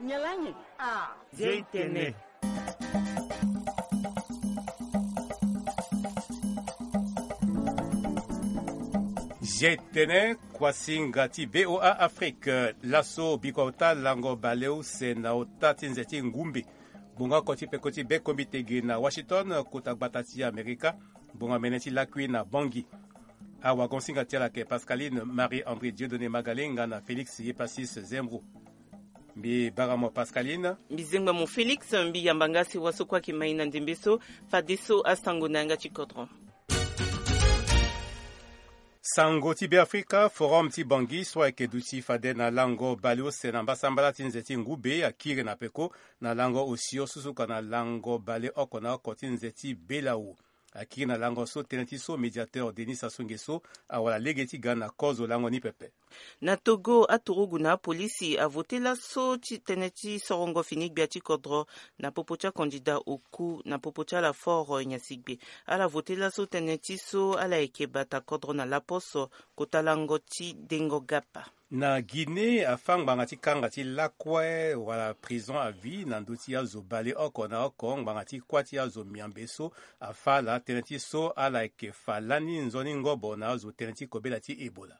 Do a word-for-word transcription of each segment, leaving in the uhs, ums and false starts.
Nyalangi. Ah. Zia itene. Zia itene. Kuasinga ti VOA Afrique. Laso bikua ota lango baleuse na ota ti nze ti ngumbe. Bonga oko ti peko ti be kombi tege na Washington, kota gbata ti Amerika. Bonga mene ti lakui na Bangui. Awagon singa ti ala ayeke Pascaline Marie André Dieudonné Magalenga na Félix Yepasis Zembro. Mbi bara mo Pascaline. Mbi zengba mo Félix, mbi yamba nga si waso kue ayeke mai na ndembe so, fadeso asango na yanga ti kodro. Sango ti Beafrika, forum ti Bangui so ayeke duti fade na lango baleuse na mbasambala ti nze ti ngube akiri na peko na lango osio susuka na lango baleoko na oko ti nze ti Belawo. Akiri na lango so tënë ti so médiateur Denis Sassou Nguesso awara lege ti ga na kozo lango ni pepe. Na Togo, aturugu na apolisi avote laso ti tënë ti sorongo fini gbia ti kodro na popo ti akandida oku na popo ti ala fort nyasigbe. Ala vote laso tënë ti so ala yeke bata kodro na laposo kota lango ti dengo gapa. Na Guinée, afa ngbanga ti kanga ti lakue wala prison à vie na ndö ti azo baleoko na oko ngbanga ti kuâ ti azo miambe so afa ala tënë ti so ala yeke fa lani nzoni ngobo na azo tënë ti kobela ti Ebola.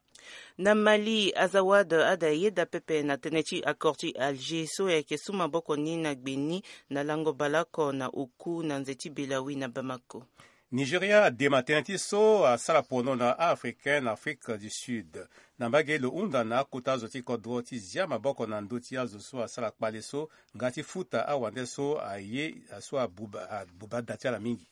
Na Mali, Azawad ada yeda pepe na tënë ti accord ti Alger so ayeke su maboko ni na gbe ni na lango baleoko na oku na nze ti Belawi na Bamako. Nigeria adema tënë ti so asara pono na a-Africain na Afrique du Sud. Na mbage lo hunda na akota azo ti kodro ti zia maboko na ndö ti azo so asara kpale so nga ti futa awande so aye so abuba, abuba da ti ala mingi.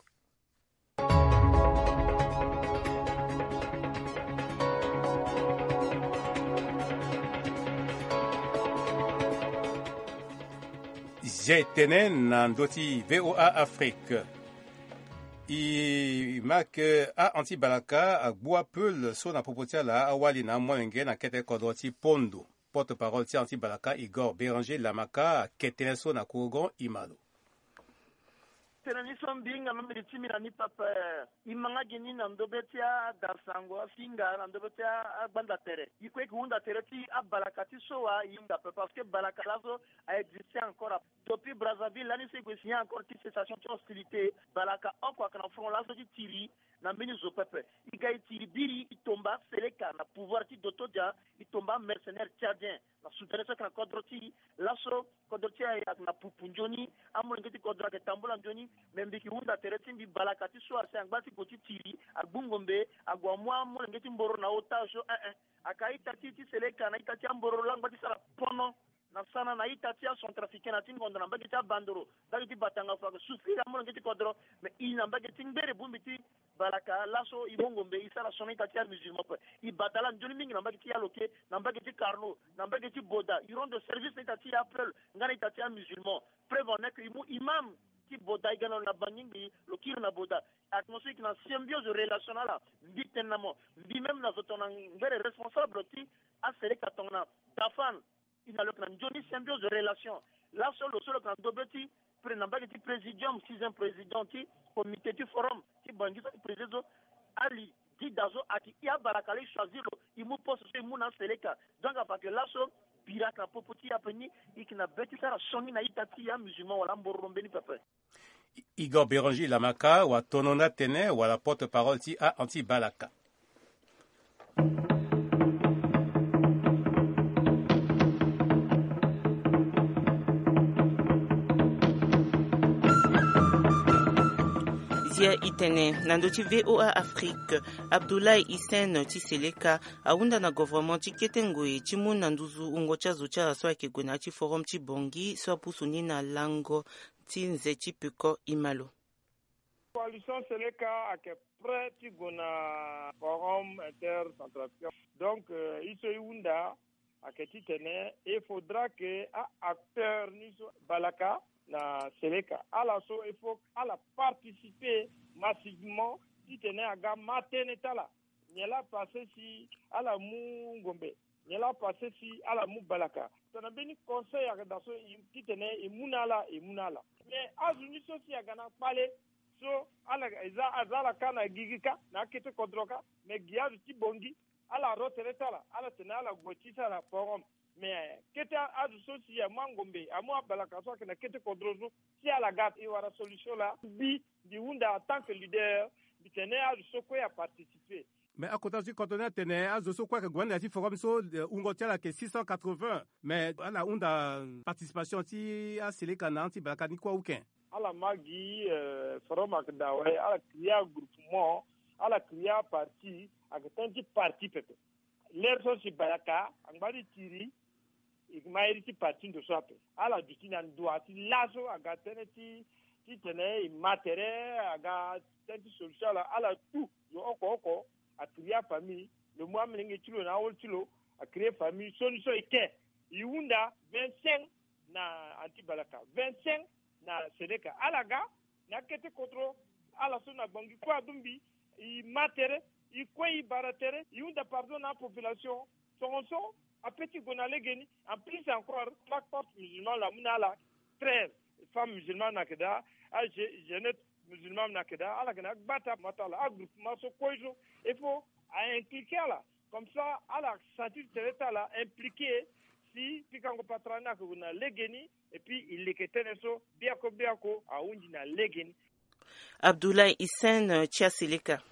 Zia etene na ndö ti VOA Afrique. E ma ke a-anti-balaka agbu apeul so na popo ti ala awali na amolenge na kete kodro ti Pondo. Porte-parole ti a-anti-balaka Igor Béranger Lamaka ake tënë so na korogon e ma lo. Tënë ni so mbi hinga na mbeni ti mbi na ni pepe. E ma nga gi ni na ndobe ti adasango afinga na ndobe ti agbanda tere. E kue e ke hunda tere ti abalaka ti so wa e hinga pepe parce que balaka laso a existe encore. Depuis Brazzaville lani so e gue signer accord ti cessation ti hostilité, balaka oko ayeke na front laso ti tiri na mbeni zo pepe. E ga e tiri biri e tomba aseleka na pouvoir ti doto dia, e tomba amercenaire tchadien na soudanais so ayeke na kodro ti e. Laso kodro ti e ayeke na pupu nzoni, amolenge ti kodro ayeke tambula nzoni. Me mbi yeke hunda tere ti mbi balaka ti so asi angba ti gue ti tiri, agbu ngombe, ague amu amolenge ti mboro na otage so, eh eh. Ayeke a-ita ti e ti seleka na ita ti amboro langba ti sara pono na sana na ita ti acentrafricain na ti ngondo na mbage ti abandoro, mbage ti batanga fo ayeke souffrir amolenge ti kodro. Me e na mbage ti ngbere bongbi ti balaka laso e mu ngombe e sara so na ita ti amusulman ape. E bata ala nzoni mingi na mbage ti aloke, na mbage ti carno, na mbage ti boda. E rendre service na ita ti apeul nga na ita ti amusulman. Preuve en est que e mu imam ti boda e ga na lo na bangingbi lo kiri na boda. Attention, e yeke na symbiose relation na ala. Mbi tene na mo, mbi même na zo tongana ngbere responsable ti aseleka tongana dafan. E na lo yeke na nzoni symbiose de relation. Laso lo so lo yeke na ndobe ti pre na mbage ti présidium, sixième président ti comité ti forum ti Bangui so ti présider so, Ali Dida so ayeke e abalaka la e choisir lo e mu poste so e mu na aseleka. Donc afa yeke laso bira ayeke na popo ti e ape ni. E yeke na be ti sara sioni na ita ti e amusulman wala ambororo mbeni pepe. Igor Béranger Lamaka watono ni atene wala porte-parole ti a-anti-balaka. Zia itene na ndö ti VOA Afrique, Abdoulaye Hissène ti Seleka ahunda na gouvernement ti kete ngoi ti mu na nduzu wungo ti azo ti ala so ayeke gue na ya ti forum ti Bangui so apusu ni na lango ti nze ti peko e ma lo. Coalition Seleka ayeke prêt ti gue na forum intercentrafricain. Donc, euh, e so e hunda ayeke titene il faudra que a-acteur ni so balaka na Seleka ala so il faut ala participer massivement titene aga ma tënë ti ala. Nyen laa pase si ala mu ngombe? Nyen laa pase si ala mu balaka? Tongana mbeni conseil ayeke daa so e, titene e mu na ala, e mu na ala. Me azo ni so si aga na kpale so ala, e za, aza ala kâ na gigi kâ, na akete kodro kâ. Me gi azo ti Bangui, ala ro tere ti ala, ala tene ala gue ti sara forum. Mais kete azo so si amu angombe, amu abalaka so ayeke na kete kodro so, si ala ga e wara solution laa. Mbi, mbi hunda en tant que leader, mbi tene azo so kue aparticiper. Mais akota so ti kodro ni atene azo so kue ayeke gue na ya ti forum so, eh, wungo ti ala ayeke six cent quatre-vingts. Mais ala hunda participation ti aseleka na ya ti balaka ni kue aucun. Ala ma gi, eh, forum ayeke daa awe, ala créer agroupement, ala créer aparti, ayeke tënë ti parti pepe. Lere so si balaka angba ti tiri, e ma iri ti parti ndo so ape. Ala duti na ndua ti laso aga tënë ti, titene e ma tere, aga tënë ti solution ala, ala tout. Yo oko oko a créer afamille, lo mu amolenge ti lo na ahol ti lo, a créer famille, sioni so e ke. E hunda vingt-cinq na anti balaka, vingt-cinq na seleka. Ala ga na akete kodro, ala so na Bangui kue adumbi, e ma tere, e kue e bara tere, e hunda pardon na apopulation. Tongaso ape ti gue na legeni. En plus encore, chaque porte musulmane la mu na ala treize femmes musulmanes na yeke daa, ajeunette musulmane na yeke daa, ala yeke na agbata ma ti ala, agroupement so kue so, il faut a impliquer ala. Comme ça ala sentir tere ti ala impliquer. Si pikango patara ni ayeke gue na legeni, et puis e leke tënë so biako biako ahunzi na legeni. Abdoulaye Hissène, eh, ti aseleka.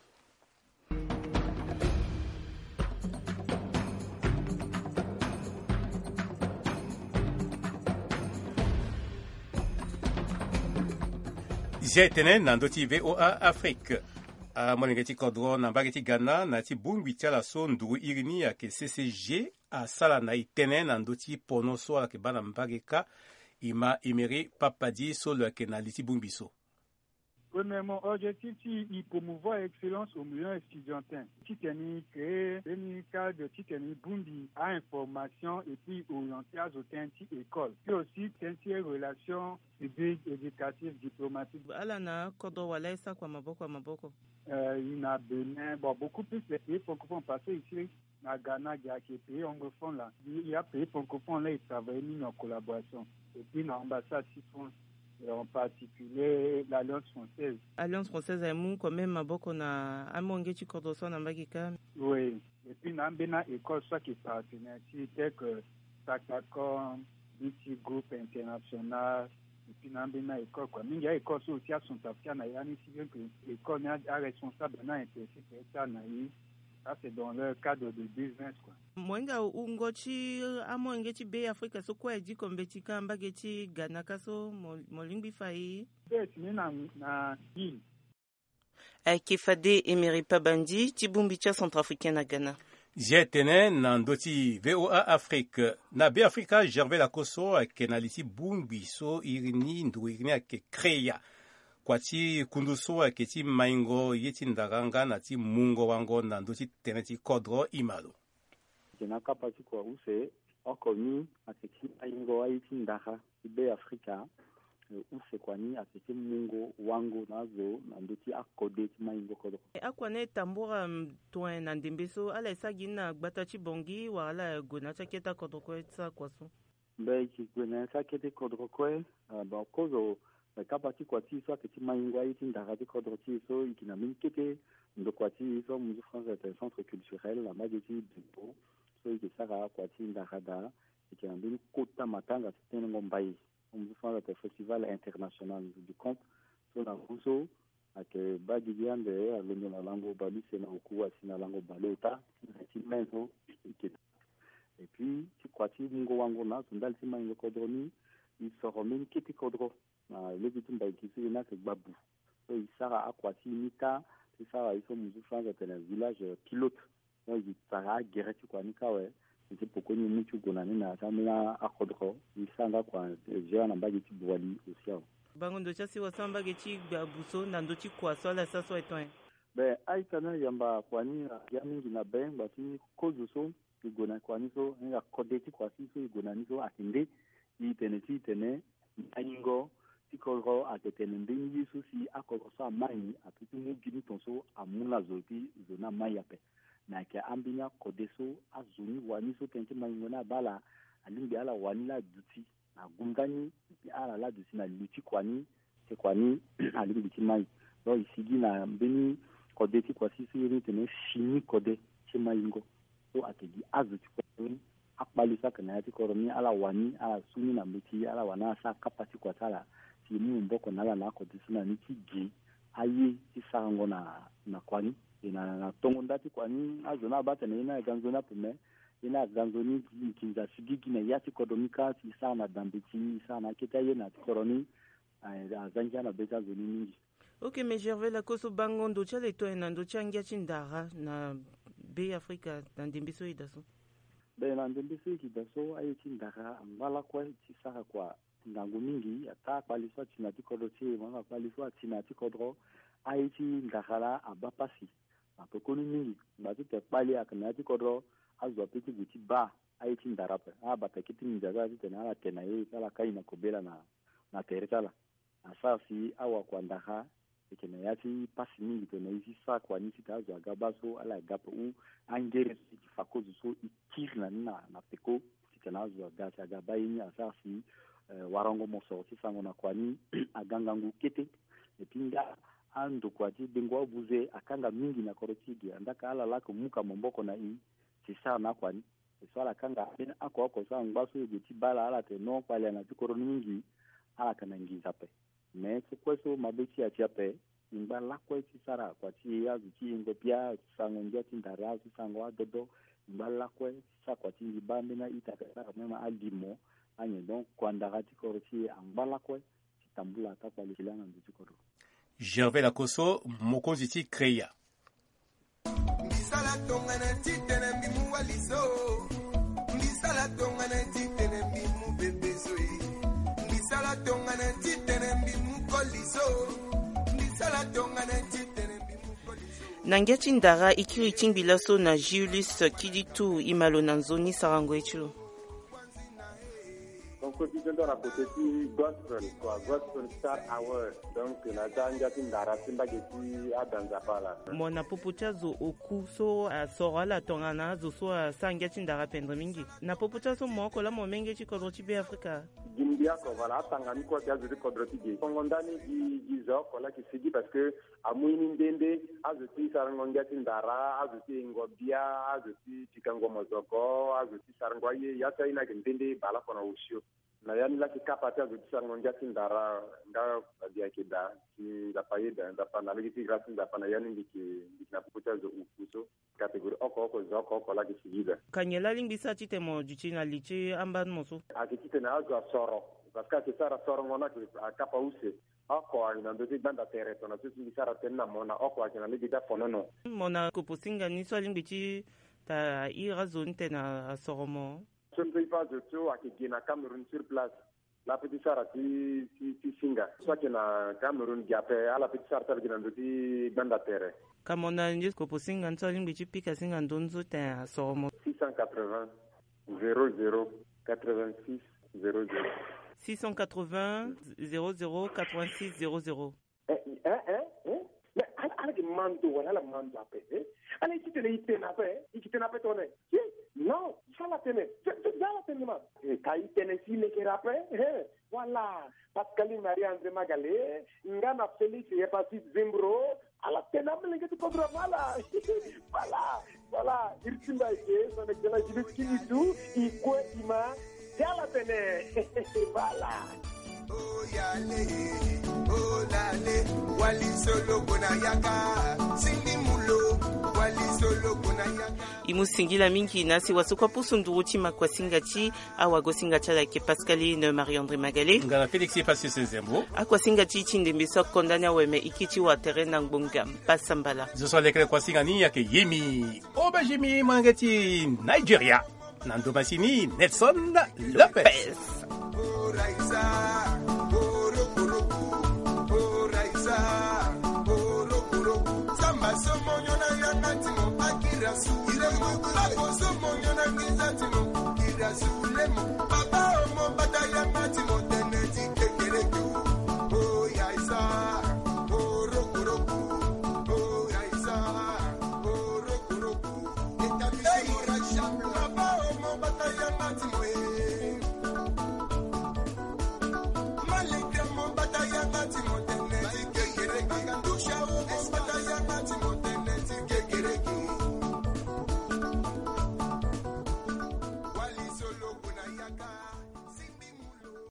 Zia etene na ndö ti VOA Afrique. Amolenge ti kodro na mbage ti Ghana na ya ti bongbi ti ala so nduru iri ni ayeke C C G asara na e tënë na ndö ti pono so ala yeke baa na mbage kâ. E ma Emery Papadi so lo yeke na li ti bongbi so. Premièrement, objectif ti e promouvoir excellence au milieu estudiantin, titene e créer mbeni cadre titene e bongbi a-information et puis orienter azo tënë ti école, puis aussi tënë ti relation publique, éducative, diplomatique. Ala na akodro wala e sara kua maboko na maboko? Euh, e na Bénin, bon, beaucoup plus les pays francophones, parce que ici na Ghana gi ayeke pays anglophone la. Ya pays francophone la e travailler mingi en collaboration et puis na ambassade ti France, et en particulier l'Alliance française. Alliance française aye mu quand même maboko na amolenge ti kodro so na mbage kâ. Oui. Et puis na ambeni a-école so ayeke partenaire ti e, tel que Sacacom, B T Group International, et puis na ambeni a-école kua. Mingi a-école so aussi acentrafricain na ya ni, si bien que école ni aresponsable ni aintéressé ti asara na e. Ça c'est dans leur cadre de business kua. Mo hinga wungo ti amolenge ti Be Afrika so kue aye diko mbeti kâ mbage ti Ghana kâ so, mo lingbi fa e? Be si ni na, na Ayeke fade Emery Pabandi ti bongbi ti acentrafricain na Ghana. Zia etene na ndö ti VOA Afrique. Na Be Afrika, Gervais Lakoso ayeke na li ti bongbi so iri ni, nduru iri ni ayeke créer kua ti kundu so ayeke ti maingo ye ti ndara nga na ti mungo wango na ndö ti tënë ti kodro. E ma lo. Ayeke na kapa ti kua use, oko ni ayeke ti maingo aye ti ndara ti Be Afrika. Eh, use kua ni ayeke ti mungo wango na azo na ndö ti akode ti maingo kodro. Eh, akua ni e tambura, mm, toen na ndembe so, ala e sara gi ni na gbata ti Bangui wala ala gue na ya ti akete akodro kue ti sara kua so? Mbe e yeke gue na ya ti akete kodro kue. Ah, bon, kozo, eh, kapa ti kua ti e so ayeke ti maingo aye ti ndara ti kodro ti e so, e yeke na mbeni kete ndokua ti e so amu ti France atene centre culturel na mbage ti Bembo, so e yeke sara kua ti ndara daa. E yeke na mbeni kota matanga ti tenengo mbai. Amu ti France atene Festival International du Conte. So na ngu so ayeke baa gigi ande, alondo na lango bale use na oku, asi na lango bale ota ti me so e yeke. Et puis ti kua ti mungo wango na azo ndali ti maingo kodro ni, e soro mbeni kete kodro na lege ti mbaiki so e ni ayeke gbabu. So e sara akua ti e ni kâ, ti sara ye so amu ti France atene village pilote. Donc e sara agere ti kua ni kâ awe. E ti poko ni e mu ti gue na ni na ya ti ambeni akodro, e sara nga kua, e gère na mbage ti Boali aussi awe. Bango ndo ti asi wasa mbage ti gbabu so na ndö ti kua so ala sara so aye ton nyen? Be, a-ita ni ayamba kua ni aga mingi na be, ngba ti kozo so e gue na kua ni so, e hinga kode ti kua ti so e gue na ni so ayeke nde? E tene ti e tene maingo ti kodro ayeke tene mbeni ye so si akodro so amai, ape ti mu gi ni ton so amu na zo, ti zo ni amai ape. Me ayeke ambeni akode so azo ni wani so tënë ti maingo ni abaa ala, alingbi ala wani laa aduti na gunda ni, ala laa aduti na li ti kua ni, ti kua ni alingbi ti mai. Donc e sigi na mbeni kode ti kua ti so e iri ni tene fini kode ti maingo. So ayeke gi azo ti kua ni akpali so ayeke na ya ti kodro ni ala wani ala su ni na mbeti ala wani ala sara kapa ti kua ti ala, si e mu maboko na ala na oko ti so na ni ti ge aye ti sarango na na kua ni. E na na tongo nda ti kua ni azo ni abaa tene ye ni aga nzoni ape me ye ni aga nzoni nginza sigigi na ya ti kodro ni kâ si e sara na da mbeti e sara na akete aye na ya ti kodro ni. Azangi ana be ti azo ni mingi. Ok, mais Gervais Lakosso, bango ndo ti ala e to aye na ndö ti angia ti ndara na Be Afrika na ndembe so e daa so? Be na ndembe so e yeke daa so aye ti ndara angba lakue ti sara kua ngangu mingi. Ata akpali so ati na ya ti kodro ti e mo akpali so ati na ya ti kodro, aye ti ndara laa abaa pasi na pekoni mingi. Ngba ti tene kpali ayeke na ya ti kodro azo ape ti gue ti baa aye ti ndara ape. Abata kete nginza so ala ti tene ala te na ye so ala kai na kobela na na tere ti ala. Asara si awakua ndara e yeke na ya ti pasi mingi tene e si sara kua ni si tene azo aga baa so ala ga ape ou angere so e yeke fa kozo so e kiri na ni na na peko titene azo aga si aga baa ye ni asara si warango mosoro ti sango na kua ni aga ngangu kete. Epui nga andokua ti dengo abuze akanga mingi na kodro ti e ge andaa ka ala laa yeke mu ka maboko na e si sara na akua ni. E so ala kanga ambeni oko oko so angba so e gue ti baa ala ala tene non kpali ana ti kodro ni mingi. Ala yeke na nginza ape. Me so kue so mabe ti e ati ape. E ngba lakue ti sara kua ti e azo ti yengo bia ti sango ngia ti ndara azo ti sango adodo. E ngba lakue ti sara kua ti ngi baa ambeni a-ita ka sara même alimo. Anyen donc kua ndara ti kodro ti e angba lakue ti tambula ataa kpali ti laa na ndo ti kodro. Gervais Lakosso, mokonzi ti Kreya. Mbi sala tongana titene mbi mu wali so. Mbi sala tongana titene mbi mu bebe so e. Mbi sala tongana titene mbi mu koli so. Mbi sala tongana titene mbi mu koli so. Na ngia ti ndara e kiri ti ngbi laso na Julius Kiditu e ma lo na nzoni sarango ye ti lo. Concours ti tënë na côté ti gospel kua, Gospel Star Award. Donc na ya ti angia ti ndara ti mbage ti ada Nzapa laa. Mo na popo ti azo oku so asoro ala tongana azo so asara ngia ti ndara pendere mingi. Na popo ti azo mo oko laa mo menge ti kodro ti Be Afrika. Gi mbi oko voilà atanga ni kue ti azo ti kodro ti ge. Kongo ndani gi gi zo oko laa ayeke sigi parce que amu ye ni nde nde azo ti sarango ngia ti ndara, azo ti yengo bia, azo ti pikango mozoko, azo ti sarango aye, ya ti aye ni ayeke nde nde bale oko na osio. Na ya ni laa ayeke kapa ti azo ti sarango ngia ti ndara nga abi ayeke daa ti Nzapa ayeda Nzapa na lege ti grâce ti Nzapa na ya ni mbi yeke mbi yeke na popo ti azo oku so. Catégorie oko oko zo oko oko laa ayeke sigi daa. Ka nyen laa alingbi sara titene mo duti na li ti ambeni mo so? Ayeke titene azo asoro parce que ayeke sara sorongo ni ayeke akapa use. Oko ayeke na ndö ti gbanda tere tongana so si mbi sara tënë na mo na oko ayeke na lege ti afonono. Mo na kopo singa ni so alingbi ti ta iri azo ni tene asoro mo? So mbi so e fa azo so ayeke ge na Cameroun sur place. Laa ape ti sara ti ti ti singa so ayeke na Cameroun ge ape ala ape ti sara ti ala gi na ndö ti gbanda tere. Ka mo na ndio kopo singa ni so alingbi ti pika singa ndö ni so tene asoro mo? Six cent quatre-vingts zéro zéro quatre-vingt-six zéro zéro. Six cent quatre-vingts zéro zéro quatre-vingt-six zéro zéro. Eh, eh, eh, eh? Mais ala ala yeke ma ndo wala ala ma ndo ape, eh? Ala ye ti tene e tene ape, eh? E yeke tene ape tongana, eh? Non, so ala tene so so so ala tene ma, eh, ka e tene si e lekere ape, eh? Voilà. Pascaline Marie André Magale nga na Félix Hepatite Zimbro. Ala tene amelenge ti kodro ma ala. Voilà. Voilà, iri ti mbi ayeke son excellence Julius Kiditu. E kue e ma ti ala tene. Voilà. Oyale, olale, wali solo kona yaka, sindi mulo, wali solo kona yaka. E mu singila mingi na si wasukua pusu nduru ti ma kuasinga ti awagosinga ti ala ayeke Pascaline Marie André Magale nga na Félix Hepatite Zimbro. Akuasinga ti e ti ndembe so akonda ni awe me e kiri ti wa tere na ngbonga mpasambala. Zo so alekere kuasinga ni ayeke Yemi Obejimi, molenge ti Nigeria. Na ndo masini Nelson Lopez.